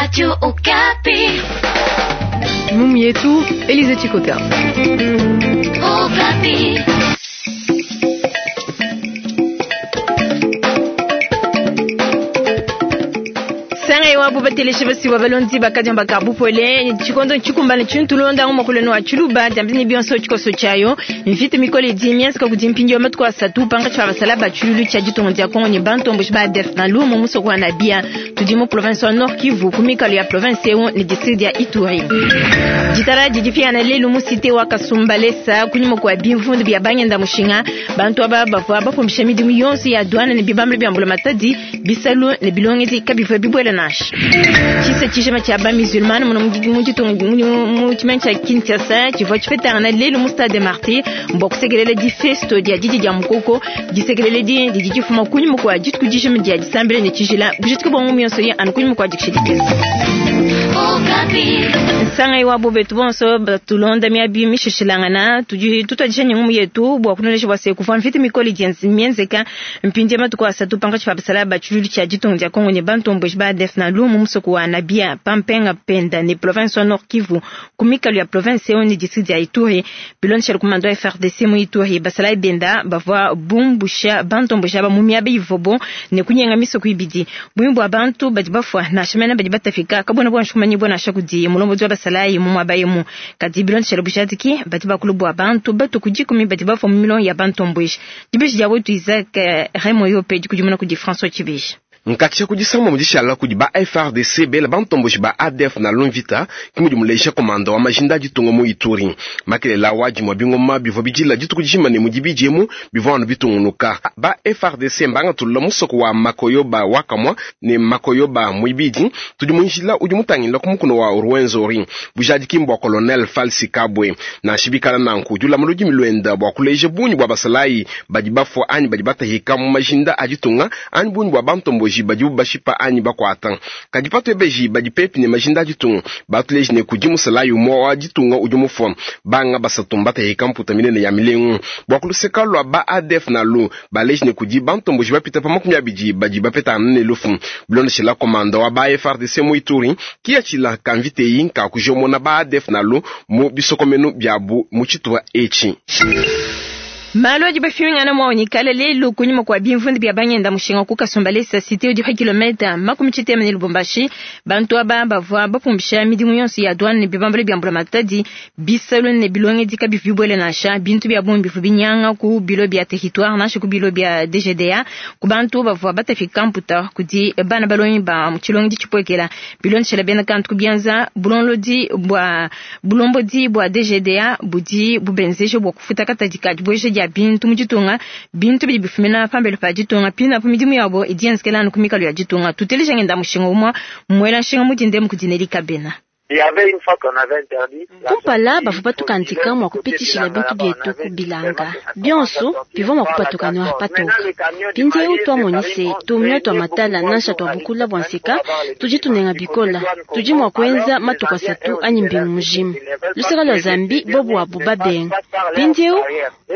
Radio Okapi. Ngumu yetu Elize Chikota. Okapi. Sanga iwapo bateleshe basiwa balondi bakadiamba kabupole chikondo chikumbana chintulonda ngomakuleno wa chiluba jambini bionso chikoso chayo mfite mikole di miansi kudi mpingi wa matuku asatu panga cha basala ba chululu cha ditongo dia Kongo ni bantombo ba def na lumo musoko wa Nabia tudi mu province wa Nord Kivu kumikalo ya province eo ni district ya Ituri. Jitara jijifia na lelu mu cité wa Kasumbalesa kunyuma kwa bimvundu bya banyenda mushinga bantu aba bavwa bapumisha midimu yonso ya douane ne bibambe bya mbula matadi bisalu ne bilongezi kabivwa bibwele nasha. Chisa chishema cha ba musulman muno mu ditongo mu chimene cha Kinshasa chivwa chifetanga lelu mu stade des Martyrs mbwa kusekelele di festo dia didi dia mukoko disekelele di didi difuma kunyuma kwa dituku dishema dia disambile ne chijila bujituku bwa ngumi yonso ye anu kunyuma kwa dikishidikisa. Okapi. Sanga iwabo betu bonso batulonda miabi mishishilangana tudi tutadisha ngumu yetu bwa kunonesha bwa se kufa mfiti mikoli dienzi mienzeka mpindi matuku asatu panga chifa basala ba chululu cha ditongo dia Kongo ne bantombo ba def na lumu musoko wa Nabia pampenga penda ne province wa Nord Kivu kumikalo ya province eo ne district ya Ituri bilonshela kumando ya FARDC mu Ituri basala benda bavwa bumbusha bantombo ba mu miabi ivobo ne kunyenga misoko ibidi bwimbo abantu badi bafwa na shimena badi batafika kabona bwa nshumanyi bwana shakudi mulombo wa basalayi mu mwabayemu kadi bilonshela bushadiki badi bakulu bwa bantu batu kujikumi badi bafwa mu milon ya bantombwish dibishi dia wetu Isaac Remoyo pe dikudimuna kudi François Chibish. Nkatsha kudisamba mudishala kudi ba FARDC bela bantomboshi ba ADF na Lomvita kimudi muleja komanda wa majinda ditunga mu Ituri. Makelela wa dimwa bingoma bivua bidila dituku dijima ne mudi bidiemu bivua anu bitungunuka. Ba FARDC mbanga tulula musoko wa Makoyoba wakamwa ne Makoyoba muibidi tudi munjila udi mutangila ku mukuno wa Rwenzori. Bujadiki mbwa colonel Falsi Kabwe na shibikala nanku dula muludi milwenda bwa kuleja bunyi bwa basalayi badi bafwa anyi badi batahika mu majinda aditunga anyi bunyi bwa bantomboshi badi bashipa anyi bakwata. Kadi patu ebeji badi pepi ne majinda ditunga batuleji ne kudi musalayi umwe wa ditunga udi mufwa banga basatu mbatahika mputa minene ya milengu bwa kuluseka lwa ba ADF na lu baleji ne kudi bantomboshi bapita pa 20 badi bapetana ne lufu bilondeshela komanda wa ba FARDC mu Ituri kiyachila kamvite yi nka kujomona ba ADF na lu mu bisokomenu byabu mu chituwa echi. Malo adi bafimingana mwaonikala lelo kunyuma kwa bimvundu bya banyenda mushinga ku Kasumbalesa cité udi pa kilometa 80 ne Lubumbashi bantu aba bavua bapumbisha midimu yonso ya douane ne bibambalo bya mbula matadi bisalo ne bilongedi kabivibwele nansha bintu bya bombi bivu binyanga ku bilo bya territoire nansha ku bilo bya DGDA ku bantu bavua batafika mputa kudi bana balongi ba mutshilongedi tshipwekela bilondeshela bena kantu kubianza bulonlodi bwa bulombodi bwa DGDA budi bubenzeje bwa kufuta katadi kadi bweje dia bintu mu ditunga bintu bidi bifumina pambelo pa ditunga pina pa midimu yabo idienzekela anu ku mikalo ya ditunga tuteleja ngenda mushinga umwa mwela nshinga mudinde mukudineli kabena. Kumpala bavua batukandika mua kupitishila bintu bietu kubilanga bionso bivua mua kupatuka noir patoka. Mpindieu twamonise tumio twa matala nansha twa bukula bua nseka tudi tunenga bikola tudi mua kuenza matuku asatu anyi mbingu mujima. Luseka lua Zambi bobu abu babenga mpindieu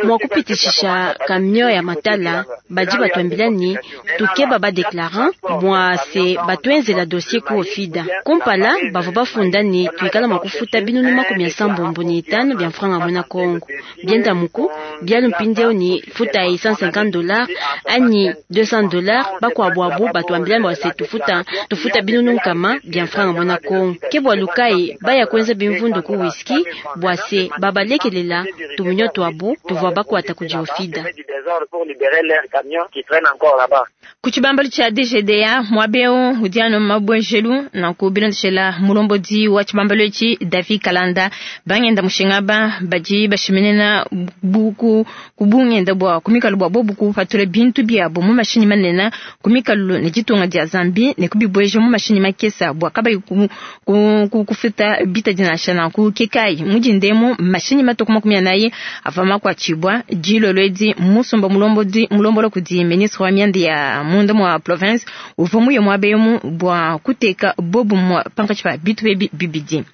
mua kupitishisha kamio ya matala badi batuambila ni tukeba badeklarant mua se batuenzela dossier ku ofida. Kumpala bavua bafunda ni tuikala mua kufuta binunu 75 bya mfranga mwena Kongo bienda muku bialu mpindieu ni futa $150 anyi $200 bakuabu batuambila bua se tufuta tufuta binunu nkama bya mfranga mwena Kongo ke bua lukai baya kuenza bimvundu ku whisky bua se babalekelela tumunyo tuabu tuvua bakuata kudi ofida. Kuchibambalu cha DGDA mwabeo udiano mabwenjelu na kubilondeshela mulombodi wa chibambalu echi David Kalanda bangenda mushinga ba baji bashimenena buku kubungenda bwa kumikalu bwa bobu kupatula bintu byabo mu mashinyi manene kumikalu ne ditunga dia Zambi ne kubibweje mu mashinyi makesa bwa kabayi kufuta bita dinasha na ku kekai mujindemo mashinyi matuku 40 avama kwa chibwa jilolwedi musomba mulombodi mulombolo kudi ministre wa mianda ya munda mwa province uva muye mwabemu bwa kuteka bobu mwa pankachi pa bitu bebi 2.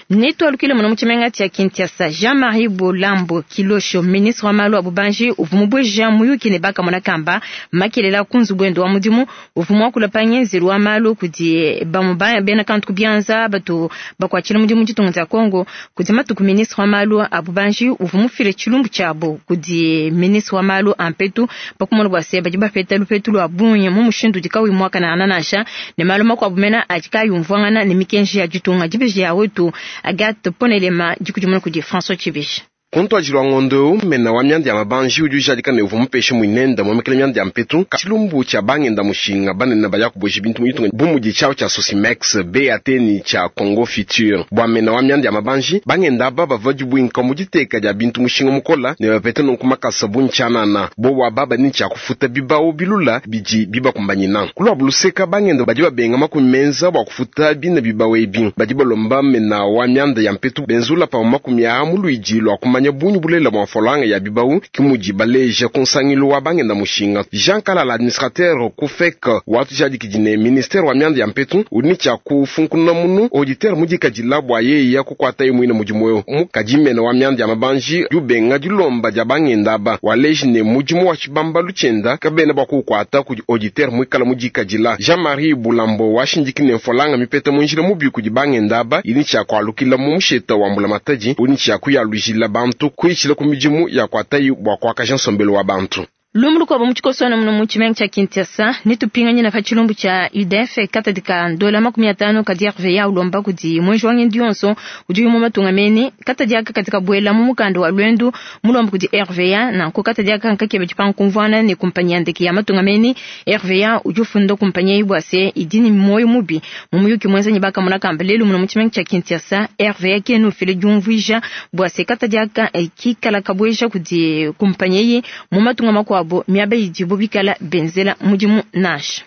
Netualukile muno mu tshimenga tshia Kinshasa. Jean-Marie Bolambo Kilosho, ministre wa malu a bubanji, uvua mubueja muyuki ne bakamona kamba makelela ku nzubu wende wa mudimu. Uvua muakula pa ngenzelu wa malu kudi bamue bena kantu ku bianza batu bakuatshila mudimu ditunga dia Congo. Kudi matuku ministre wa malu a bubanji uvua mufile tshilumbu tshiabo kudi ministre wa malu a mpetu pa kumona bua se badi bapeta lupetu lua bungi mu mushindu udi kauyi muakanangana nansha ne malu makuabu mena adi kaayi umvuangana ne mikenji ya ditunga. Dibeji ya wetu Agathe Ponelema dikudimuna kudi François Tshibishi. Ku ntuadijilu wa ngondo eu, mena wa mianda ya mabanji udi ujadika ne, uvua mupeshe muinende muomekela mianda ya mpetu tshilumbu tshia bangenda-mushinga banene baya kubueja bintu mu ditunga bu mudi tshiawu tshia Socimex, BAT ne tshia Congo Futur. Bua mena wa mianda ya mabanji, bangenda aba bavua dibuinka mu diteka dia bintu mushinga mukola ne bapeta nunku makasa bungi tshianana. Bobu aba badi ne tshia kufuta bibawu bilula bidi bibakumbanyina. Ku luabu luseka, bangenda badi babenga makumi menza bua kufuta bine bibawu ebi. Badi balomba mena wa mianda ya mpetu benzula pamue makumi aa mu luidi lua kumanya bungi bulelela bua mfranga ya bibawu, ke mudi baleja ku nsangilu wa bangenda-mushinga. Jean Kalala, administrateur ku FEC, watujadikidi ne, ministere wa mianda ya mpetu udi ne tshia kufunkununa munu auditeur mudikadila bua yeya kukuataye muine mudimu eu. Kadi mena wa mianda ya mabanji udi ubenga dilomba dia bangenda aba, waleji ne, mudimu wa tshibambalu tshienda kabena bua kuukuata kudi auditeur muikala mudikadila. Jean-Marie Bulambo washindiki ne, mfranga mipeta mu njila mubi kudi bangenda aba idi ne tshia kualukila mu musheta wa mbulamatadi udi ne tshia kuyalujila bantu kuitshila ku midimu yakuatayi bua kuakaja nsombelu wa bantu. Lumu lukuabo mu tshikoso muno mu tshimenga tshia Kinshasa, netupinganyina pa tshilumbu tshia UDF katadi ka ndola 50 kadi RVA ulomba kudi mwenji wa ngendu yonso udi mu matunga mene katadi aka kadi kabuela mu mukanda wa lwendu mulomba kudi RVA nanku katadi aka nkakeba dipanga kumvuana ne kumpanyi ya ndeke ya matunga mene. RVA udi ufunda kumpanyi eyi bua se idi ne muoyo mubi. Mu muyuki muenza ne bakamona kamba lelu muno mu tshimenga tshia Kinshasa, RVA kena ufila diumvuija bua se katadi aka kikala kabueja kudi kumpanyi eyi mu matunga makuabo miaba idibo bikala benzela mudimu nansha.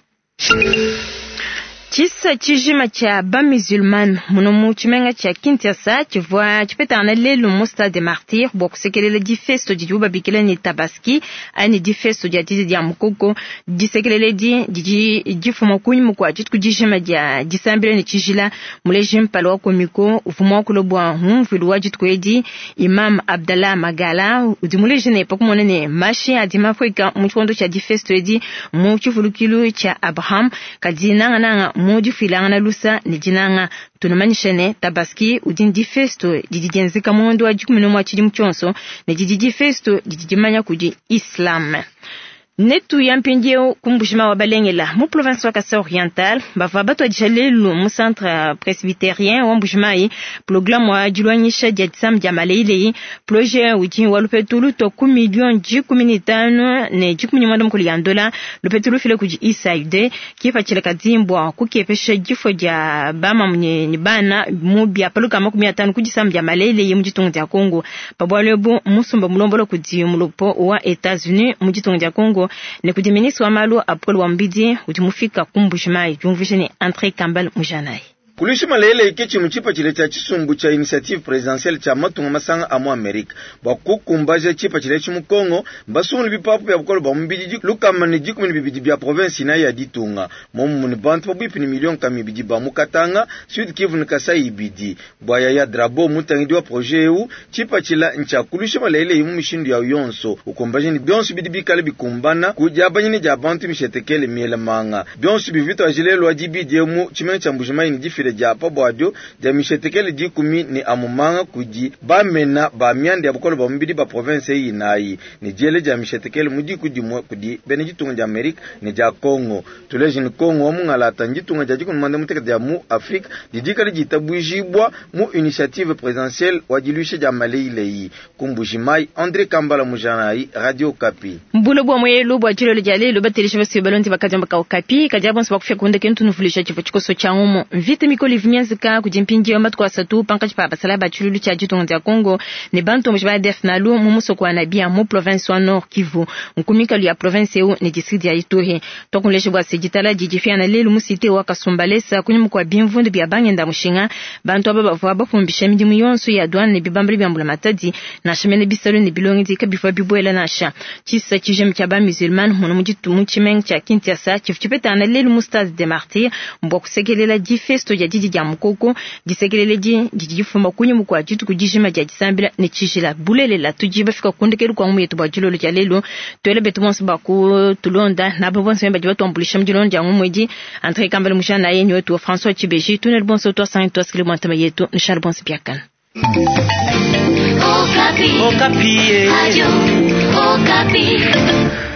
Tshisa tshijima tshia bamusulman muno mu tshimenga tshia Kinshasa tshivua tshipetangana lelu mu Stade des Martyrs bua kusekelela difesto didibu babikila ne Tabaski anyi difesto dia didi dia mukoko. Disekelela edi didi difuma kunyima kua dituku dijima dia disambila ne tshijila. Muleji mpala wa Comico uvua muakula bua ngumvuilu wa dituku edi, Imam Abdallah Magala udi muleji ne pa kumona ne mashi adi mapueka mu tshikondo tshia difesto edi mu tshivulukilu tshia Abraham kadi nangananga mu difuilangana lusa ne dinanga. Tunumanyisha ne Tabaski udi difesto didi dienzeka mu ngondo wa 11 tshidimu tshionso ne didi difesto didi dimanya kudi Islam. Netu ya mpindieu ku Mbuji-Mayi wa Balengela mu province wa Kasai Oriental bavua batuadija lelu mu centre presbytérien wa Mbuji-Mayi programme wa dilongesha dia disama dia maleileyi. Projet udi wa lupetu lutua ku million 15 ne 15 ya ndola, lupetu lufila kudi USAID kipatshila kadimbwa kukepesha difua dia bamamu ne bana mu biapaluka 50 ku disama dia maleileyi mu ditunga dia Congo. Pabwalo ebu musumba mulombola kudi mulopo wa États-Unis mu ditunga dia Congo ne kudi ministre wa malu a bukole bua mubidi udi mufika ku Mbuji-Mayi diumvuija ne André Kambal Mujanayi. Kulisha malele ke tshimue tshipatshila tshia tshisumbu tshia initiative presidentielle tshia matunga masanga a mu Amerika bua kukumbaja tshipatshila etshi mu Congo. Mbasungule bipapu bia bukole bua mubidi 112 bia province inayi ya ditunga, momumue ne bantu pabuipi ne million 200 ba mu Katanga, Sud Kivu ne Kasai ibidi. Bua Yaya Drabo, mutangidi wa projet eu, tshipatshila ntshia kulusha malele mu mishindu yawu yonso, ukumbaja ne bionso bidi bikale bikumbana ku diabanyina dia bantu mishetekele miela manga. Bionso bivitwa lelu wa dibidi mu tshimenga tshia Mbuji-Mayi ne difila dia pabuadio dia mishetekele 10 ne amumanga kudi bamena ba mianda ya bukole bua mubidi ba province eyi inayi ne diele dia mishetekele mu diku dimue kudi bena ditunga dia Amerika ne dia Congo. Tuleje ne Congo wa mungalata nditunga dia 16 dia mu Afrika didikale ditabujibwa mu initiative présidentielle wa diluisha dia maleileyi. Ku Mbuji-Mayi, André Kambala Mujanayi, Radio Okapi. Mbulo bua mwelu bua tshilolo dia lelu batelesha basi balondi bakadiamba ka Okapi kadi abonso bakufika kunda kentu nuvulisha tshivua tshikoso tshia ngumu. Mvita mikolo ivua kudi mpindieu matuku asatu pankatshi pa basala ba tshilulu tshia ditunga dia Congo ne bantu ba ADF nalu mu musoko wa Nabia mu province wa Nord Kivu nkumikalu ya province eu ne district ya Ituri. Twakunlesha bua se ditala didi fiana lelu mu cité wa Kasumbalesa kunyuma kua bimvundu bia bangenda mushinga bantu aba bavua bapumbisha midimu yonso ya douane ne bibambali bia mbulamatadi nansha mene bisalu ne bilongedi kabivua bibuela nansha. Tshisa tshijima tshia ba musulman muno mu tshimenga tshia Kinshasa tshivua tshipetangana lelu mu stade des Martyrs bua kusekelela difesto dia dia didi dia mukoko. Disekelela edi didi difuma kunyima kua dituku dijima dia disambila ne tshijila. Bulelela tudi bafika ku ndekelu kua ngumu yetu bua dilolo dia lelu. Tuele betu bonso ba kutulonda nabo bonso badi batuambuluisha mu dilonda dia ngumu edi. Andre Kambale Mujana ye ni wetu wa François Tshibeji. Tunele bonso tuasangi tuasikile bua ntema yetu. Nushale bonso biakana. Okapi. Okapi. Radio Okapi.